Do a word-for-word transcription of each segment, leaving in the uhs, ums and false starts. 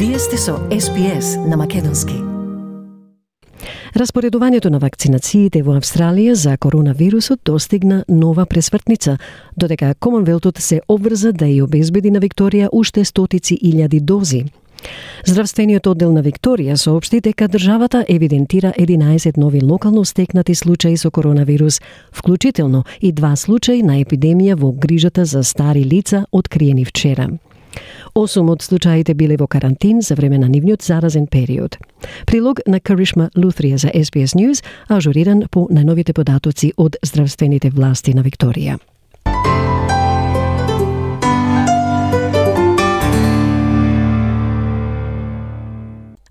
Вие сте со Ес Би Ес на македонски. Распоредувањето на вакцинациите во Австралија за коронавирусот достигна нова пресвртница, додека Комонвелтот се обврза да ја обезбеди на Викторија уште стотици илјади дози. Здравствениот оддел на Викторија соопшти дека државата евидентира единаесет нови локално стекнати случаи со коронавирус, вклучително и два случаи на епидемија во грижата за стари лица откриени вчера. Осум од случаите биле во карантин за време на нивниот заразен период. Прилог на Каришма Лутрија за Ес Би Ес News, ажуриран по најновите податоци од здравствените власти на Викторија.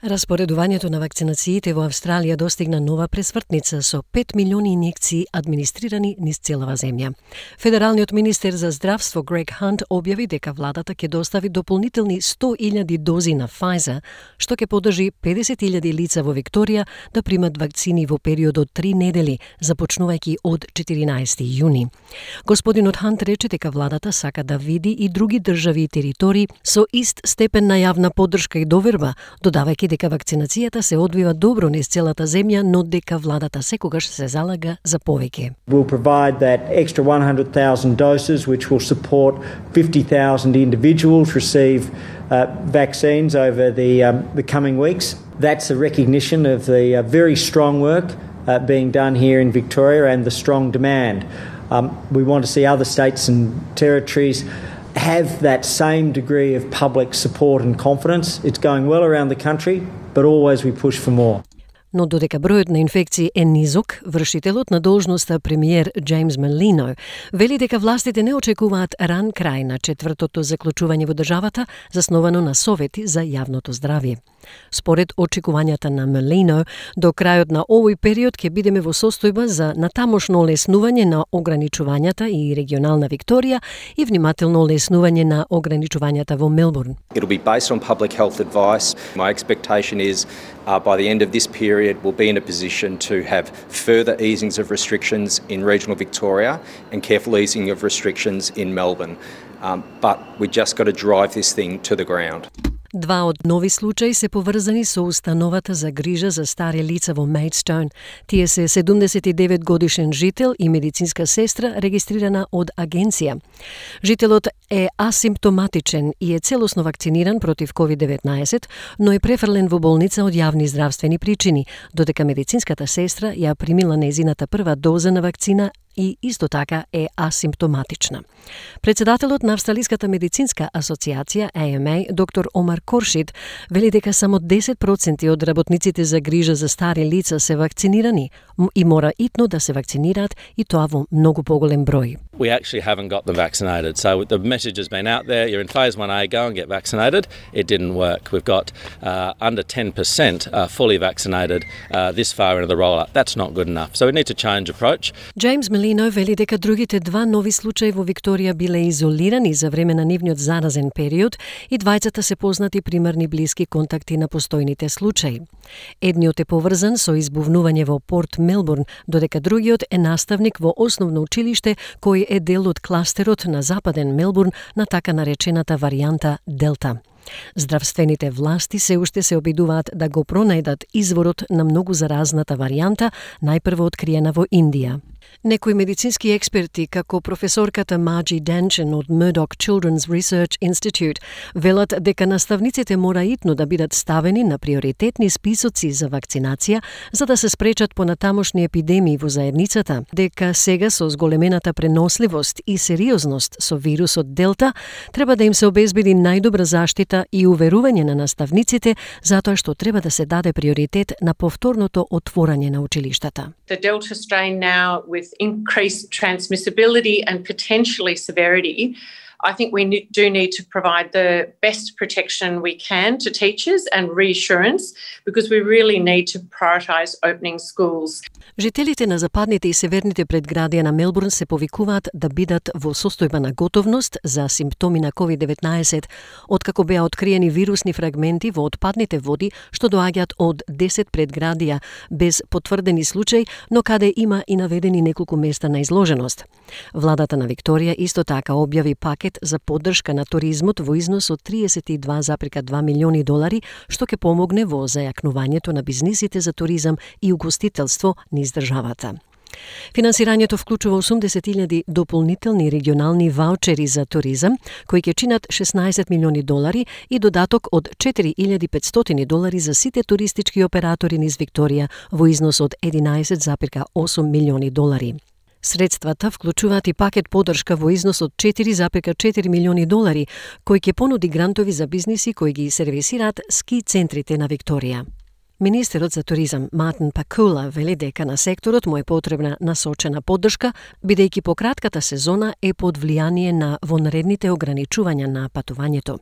Распоредувањето на вакцинациите во Австралија достигна нова пресвртница со пет милиони инјекции администрирани низ целава земја. Федералниот министер за здравство Грег Хант објави дека владата ќе достави дополнителни сто илјади дози на Pfizer, што ќе подржи педесет илјади лица во Викторија да примат вакцини во период од три недели, започнувајќи од четиринаесети јуни. Господинот Хант рече дека владата сака да види и други држави и територии со ист степен на јавна поддршка и доверба, додавајќи дека вакцинацијата се одвива добро низ целата земја, но дека владата секогаш се залага за повеќе. We'll provide that extra one hundred thousand doses which will support fifty thousand individuals receive uh, vaccines over the um, the coming weeks. That's a recognition of the uh, very strong work uh, being done here in Victoria and the strong demand. Um, we want to see other states and territories have that same degree of public support and confidence. It's going well around the country, but always we push for more. Но додека бројот на инфекции е низок, вршителот на должноста премиер Джеймс Мелино вели дека властите не очекуваат ран крај на четвртото заклучување во државата, засновано на совети за јавното здравје. Според очекувањата на Мелино, до крајот на овој период ќе бидеме во состојба за натамошно олеснување на ограничувањата и регионална Викторија и внимателно олеснување на ограничувањата во Мелбурн. It'll be based on public health advice. My expectation is uh, by the end of this period we'll be in a position to have further easings of restrictions in regional Victoria and careful easing of restrictions in Melbourne. Um, but we just got to drive this thing to the ground. Два од нови случаи се поврзани со установата за грижа за стари лица во Мејдстоун. Тие се седумдесет и девет годишен жител и медицинска сестра регистрирана од агенција. Жителот е асимптоматичен и е целосно вакциниран против ковид деветнаесет, но е префрлен во болница од јавни здравствени причини, додека медицинската сестра ја примила нејзината прва доза на вакцина и исто така е асимптоматична. Председателот на Австралиската медицинска асоциација А М А, доктор Омар Коршид, вели дека само десет проценти од работниците за грижа за стари лица се вакцинирани и мора итно да се вакцинираат и тоа во многу поголем број. We actually haven't got them vaccinated. So the message has been out there, you're in phase one A, go and get vaccinated. It didn't work. We've got uh, under ten percent uh, fully vaccinated uh, this far into the rollout. That's not good enough. So we need to change approach. Джеймс Мелино вели дека другите два нови случаи во Викторија биле изолирани за време на нивниот заразен период и двајцата се познати примерни блиски контакти на постојните случаи. Едниот е поврзан со избувнување во Порт Мелбурн, додека другиот е наставник во основно училиште кој е дел од кластерот на западен Мелбурн на така наречената варијанта Делта. Здравствените власти се уште се обидуваат да го пронајдат изворот на многу заразната варијанта, најпрво откриена во Индија. Некои медицински експерти, како професорката Маджи Денчен од Murdoch Children's Research Institute, велат дека наставниците мора итно да бидат ставени на приоритетни списоци за вакцинација, за да се спречат понатамошни епидемии во заедницата, дека сега со зголемената преносливост и сериозност со вирусот Делта, треба да им се обезбеди најдобра заштита и уверување на наставниците, затоа што треба да се даде приоритет на повторното отворање на училиштата. The Delta strain now with increased transmissibility and potentially severity, I think we do need to provide the best protection we can to teachers and reassurance because we really need to prioritise opening schools. Жителите на западните и северните предградија на Мелбурн се повикуваат да бидат во состојба на готовност за симптоми на ковид деветнаесет, откако беа откриени вирусни фрагменти во отпадните води што доаѓаат од десет предградија без потврдени случаи, но каде има и наведени неколку места на изложеност. Владата на Викторија исто така објави пакет за поддршка на туризмот во износ од триесет и два зарем два милиони долари, што ќе помогне во зајакнувањето на бизнисите за туризам и угостителство низ државата. Финансирањето вклучува осумдесет илјади дополнителни регионални ваучери за туризам, кои ќе чинат шеснаесет милиони долари и додаток од четири илјади и петстотини долари за сите туристички оператори низ Викторија во износ од единаесет зарем осум милиони долари. Средствата вклучуваат и пакет поддршка во износ од четири зарем четири милиони долари, кој ќе понуди грантови за бизниси кои ги сервисираат ски центрите на Викторија. Министерот за туризам Мартин Пакула вели дека на секторот му е потребна насочена поддршка, бидејќи по кратката сезона е под влијание на вонредните ограничувања на патувањето.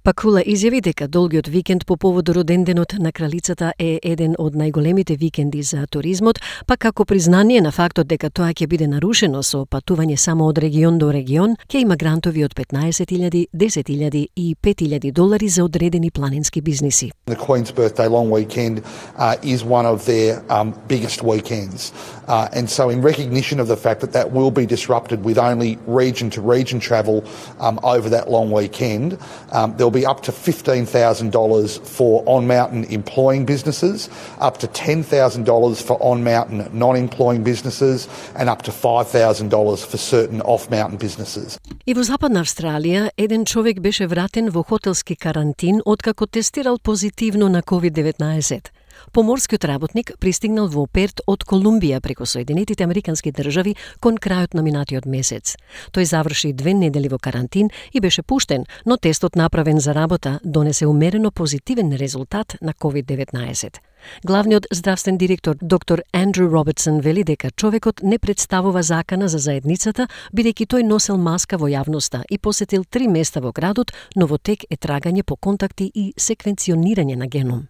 Пакула изјави дека долгиот викенд по повод роденденот на кралицата е еден од најголемите викенди за туризмот, па како признание на фактот дека тоа ќе биде нарушено со патување само од регион до регион, ќе има грантови од петнаесет илјади, десет илјади и пет илјади долари за одредени планински бизниси. The Queen's Birthday long weekend Uh, is one of their um, biggest weekends. Uh, and so in recognition of the fact that that will be disrupted with only region-to-region travel um, over that long weekend, um, there'll be up to fifteen thousand dollars for on-mountain employing businesses, up to ten thousand dollars for on-mountain non-employing businesses, and up to five thousand dollars for certain off-mountain businesses. И во Западна Австралија, еден човек беше вратен во хотелски карантин откако тестирал позитивно на ковид деветнаесет. Поморскиот работник пристигнал во Перт од Колумбија преку Соединетите Американски држави кон крајот на минатиот месец. Тој заврши две недели во карантин и беше пуштен, но тестот направен за работа донесе умерено позитивен резултат на ковид деветнаесет. Главниот здравствен директор доктор Андрю Робертсон вели дека човекот не представува закана за заедницата, бидејќи тој носел маска во јавноста и посетил три места во градот, но во тек е трагање по контакти и секвенционирање на геном.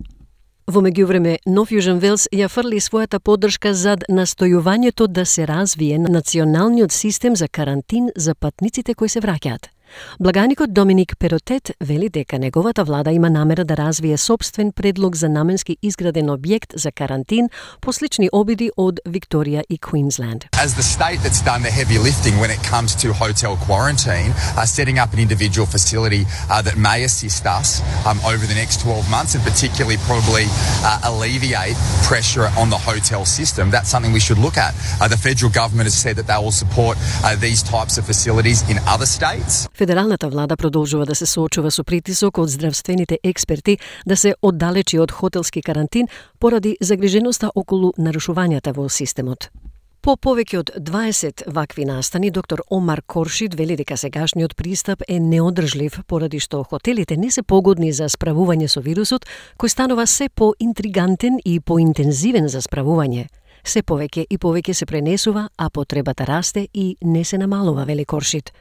Во меѓувреме, Нов Јужен Велс ја фрли својата поддршка зад настојувањето да се развие националниот систем за карантин за патниците кои се враќаат. Благаникот Доминик Перотет вели дека неговата влада има намера да развие собствен предлог за наменски изграден објект за карантин по слични обиди од Викторија и Queensland. As the state that's done the heavy lifting when it comes to hotel quarantine, uh, setting up an individual facility uh, that may assist us um, over the next twelve months and particularly probably uh, alleviate pressure on the hotel system, that's something we should look at. Uh, the federal government has said that they will support uh, these types of facilities in other states. Федералната влада продолжува да се соочува со притисок од здравствените експерти да се оддалечи од хотелски карантин поради загриженоста околу нарушувањата во системот. По повеќе од дваесет вакви настани, доктор Омар Коршид вели дека сегашниот пристап е неодржлив поради што хотелите не се погодни за справување со вирусот, кој станува се по-интригантен и поинтензивен за справување. Се повеќе и повеќе се пренесува, а потребата расте и не се намалува, вели Коршид.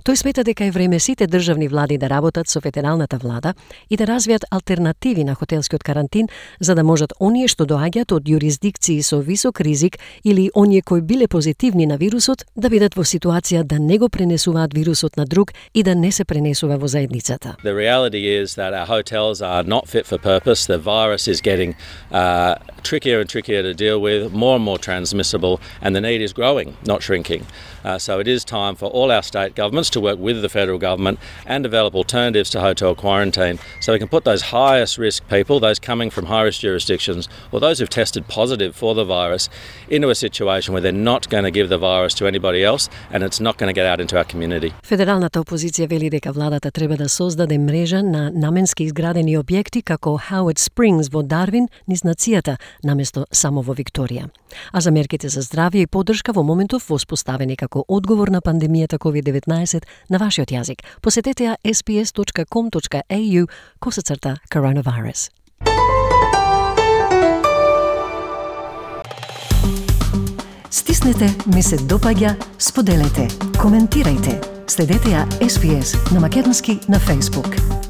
Тој смета дека е време сите државни влади да работат со федералната влада и да развијат алтернативи на хотелскиот карантин, за да можат оние што доаѓаат од јурисдикции со висок ризик или оние кои биле позитивни на вирусот да бидат во ситуација да не го пренесуваат вирусот на друг и да не се пренесува во заедницата. The reality is that our hotels are not fit for purpose. The virus is getting uh, trickier and trickier to deal with, more and more transmissible, and the need is growing, not shrinking. Uh, so it is time for all our state governments to work with the federal government and develop alternatives to hotel quarantine so we can put those highest risk people, those coming from high risk jurisdictions or those who've tested positive for the virus, into a situation where they're not going to give the virus to anybody else and it's not going to get out into our community. Федералната опозиција вели дека владата треба да создаде мрежа на наменски изградени објекти како Howard Springs во Дарвин низ нацијата, наместо само во Викторија. А за мерките за здравје и поддршка во моментов воспоставени како одговор на пандемијата ковид деветнаесет на вашиот јазик. Посетете ја ес би ес точка ком точка ей ю косацрта коронавирус. Стиснете, ми се допаѓа, споделете, коментирајте. Следете ја ес би ес на македонски на Facebook.